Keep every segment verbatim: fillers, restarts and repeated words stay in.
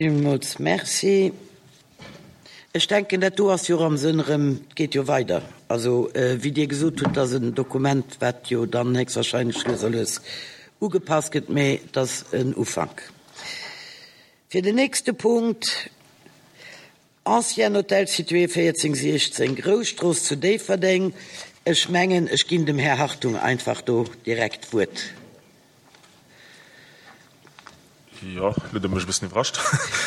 Villmools Merci. Ech denken, dat do ass jo och am Sënn erëm, et geet jo weider. Also, wéi Dir gesot hutt, dat ass en Dokument, wat jo dann héchstwahrscheinlech lues a lues ugepasst gëtt, mä et ass en Ufank. Fir den nächste Punkt, Ancien hôtel situé véierzéng siechzéng Grousstrooss zu Déifferdeng. Ech mengen, ech ginn dem Här Hartung einfach do direkt d'Wuert. Jo, elo hutt Der mech e bëssen iwwerrascht.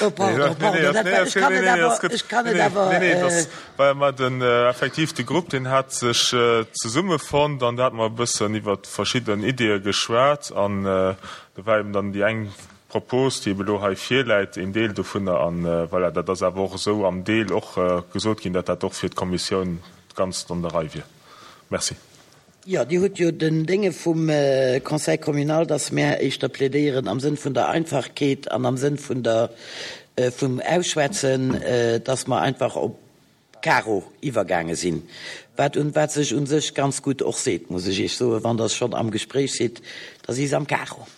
Oh, pardon, pardon, dat war, ech kann et awer, ech kann et awer. Nee, nee, dat war mar den, effektiv de Grupp, deen hat sech zesummefonnt an do hate mer e bëssen iwwert verschidden Ideeë geschwat an do war eben dann déi eng Propos, déi eben elo hei virläit, een Deel dovunner. An voilà, dat ass awer och esou am Deel och gesot ginn, datt dat och fir d'Kommissioun ganz an der Rei wier. Merci. Jo, Dir hutt jo den Dénge vum Conseil communal, dass mär éischter plädéieren am Sënn vun der Einfachkeet an am Sënn vun der, vum Ausschwätzen, dass mer einfach op Karo iwwergaange sinn, wat un, wat sech u sech ganz gutt och seet, muss ech Iech soen, wann Der schonn am Gespréich sidd, da si se am Karo.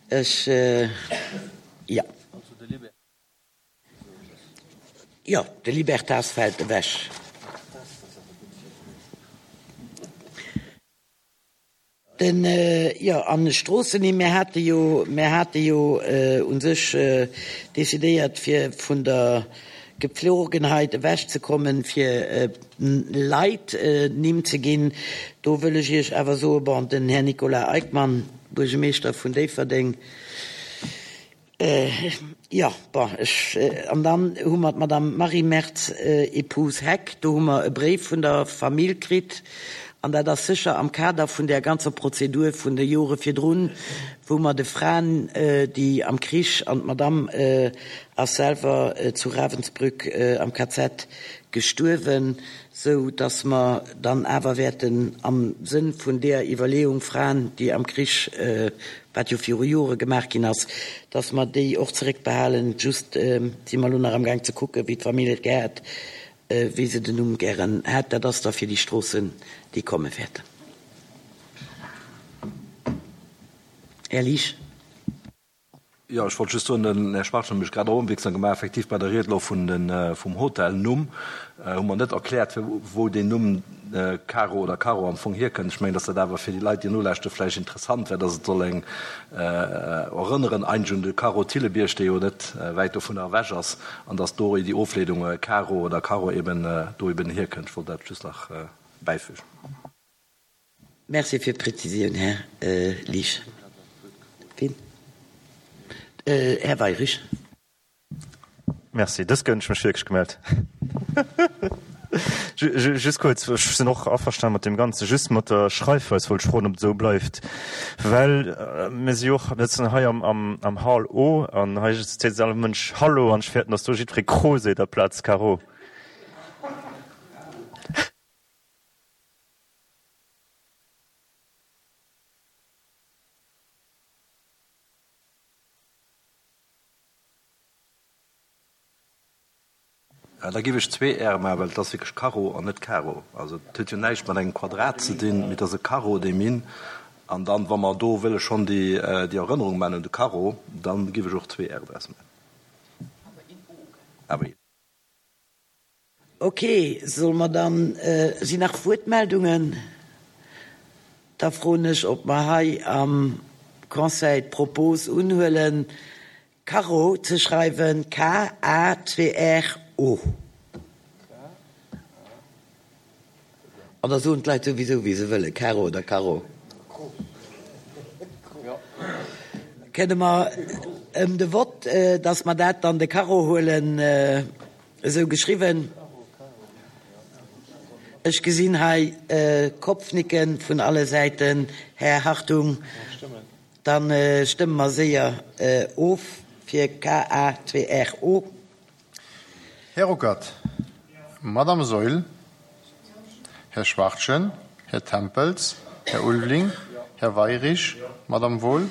Ech, jo. Jo, de Libertas fält ewech. Den, jo, an Stroossennimm, mir hate jo, mir hate jo u sech decidéiert, fir vun der Gepflogenheit ewechzekommen, fir Leit Nimm ze ginn. Do wëll ech Iech awer soen, bon, den Här Nicolas Eickmann, Buergemeeschter vun Déifferdeng, Jo, bon, ech, an dann hu mer d'Madame Marie Mertz, épouse Heck, do hu mer e Bréif vun der Famill kritt, an dat ass sécher am Kader vun där ganzer Prozedur vun de Jore virdrun, wou mer de Fraen, déi am Krich, an d'Madame ass selwer zu Ravensbrück am K Z gestuerwen, sou dass mer dann awer wäerten am Sënn vun deeër Iwwerleeung, Fraen, déi am Krich, wat jo viru Jore gemaach ginn ass, dass mer déi och zeréckbehalen. Just si mer elo nach amgaang ze kucken, wéi d'Famill et gär hätt, wéi se den Numm gären hätt. Dat ass da fir déi Stroossen, déi komme wäerten. Här Liesch. Jo, ech wollt just soen, den Här Schwarz huet mech grad och opmierksam gemaach, effektiv bei der Ried elo vun den, vum Hotelnumm hu mer net erkläert, wou deen Numm Caro oder Carro am Fong hierkënnt. Ech mengen, dass dat awer fir déi Leit, déi nolauschteren, vläicht interessant wär, dass et soll eng erënneren eigentlech un de Carro Thillebiërg, dee jo net wäit dovunner ewech ass, an dass do déi Ofleedung Caro oder Carro eben do eben hierkënnt. Ech wollt dat just nach bäifügen. Merci fir d'Präzisioun, Här Liesch. Wien? Här Weirich. Merci. Dës Kéier hunn ech mech wierklech gemellt. Just kuerz, ech sinn och averstane mat deem Ganzen. Just mat der Schreifweis wollt ech froen, ob et esou bleift, well mir si jo och, mir sëtzen hei am Hall O an hei seet all Mënsch Hallo an ech fäerten, datt do jiddweree Cro seet aplaz Caro. Da giff ech zwee R maachen, well et ass wierklech Carro an net Karo. Also et huet jo näischt mat engem Quadrat ze dinn, mee et ass e Carro, dee Minn. An dann, wa mer do wëlle schonn déi Erënnerung maachen un de Carro, da giff ech och zwee R draus maachen. Awer een O. Ok, solle mer dann, sinn nach Wuertmeldungen? Da froen ech, ob mer hei am Conseil d'Propos unhuelen, Carro ze schreiwen, K A zwee R O. An da soen d'Leit souwisou, wéi se wëllen, Karo oder Carro. Kënne mer ëm de Vott, dass mer dat dann de Carro huelen? Esou geschriwwen. Ech gesinn hei Kopfnicken vun alle Säiten. Här Hartung, da stëmme mer séier of fir K A zwee R O. Här Ruckert, Madame Saeul, Här Schwachtgen, Här Tempels, Här Ulveling, Här Weirich, Madame Wohl,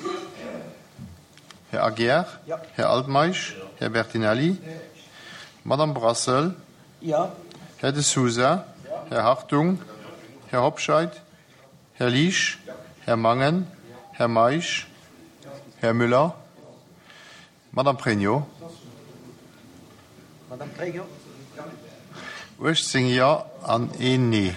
Här Aguiar, Här Altmeisch, Här Bertinelli, Madame Brassel, Här De Sousa, Här Hartung, Här Hobscheit, Här Liesch, Här Mangen, Här Meisch, Här Müller, Madame Pregno. Madame Pregno. Uechtzéng Jo an een Nee.